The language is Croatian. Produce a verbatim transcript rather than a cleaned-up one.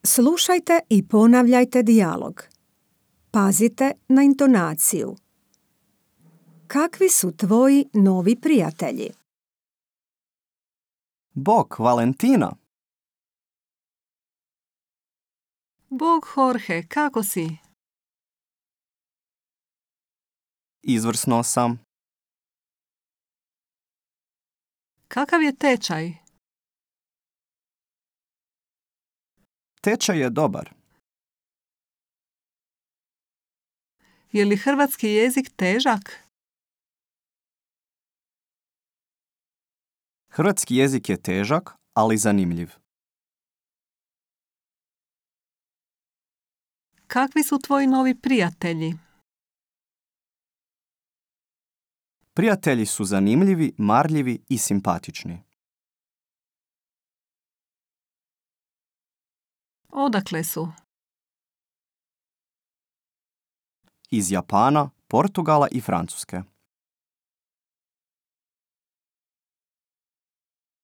Slušajte i ponavljajte dijalog. Pazite na intonaciju. Kakvi su tvoji novi prijatelji? Bok, Valentina. Bog, Jorge, kako si? Izvrsno sam. Kakav je tečaj? Tečaj je dobar. Je li hrvatski jezik težak? Hrvatski jezik je težak, ali zanimljiv. Kakvi su tvoji novi prijatelji? Prijatelji su zanimljivi, marljivi i simpatični. Odakle su? Iz Japana, Portugala i Francuske.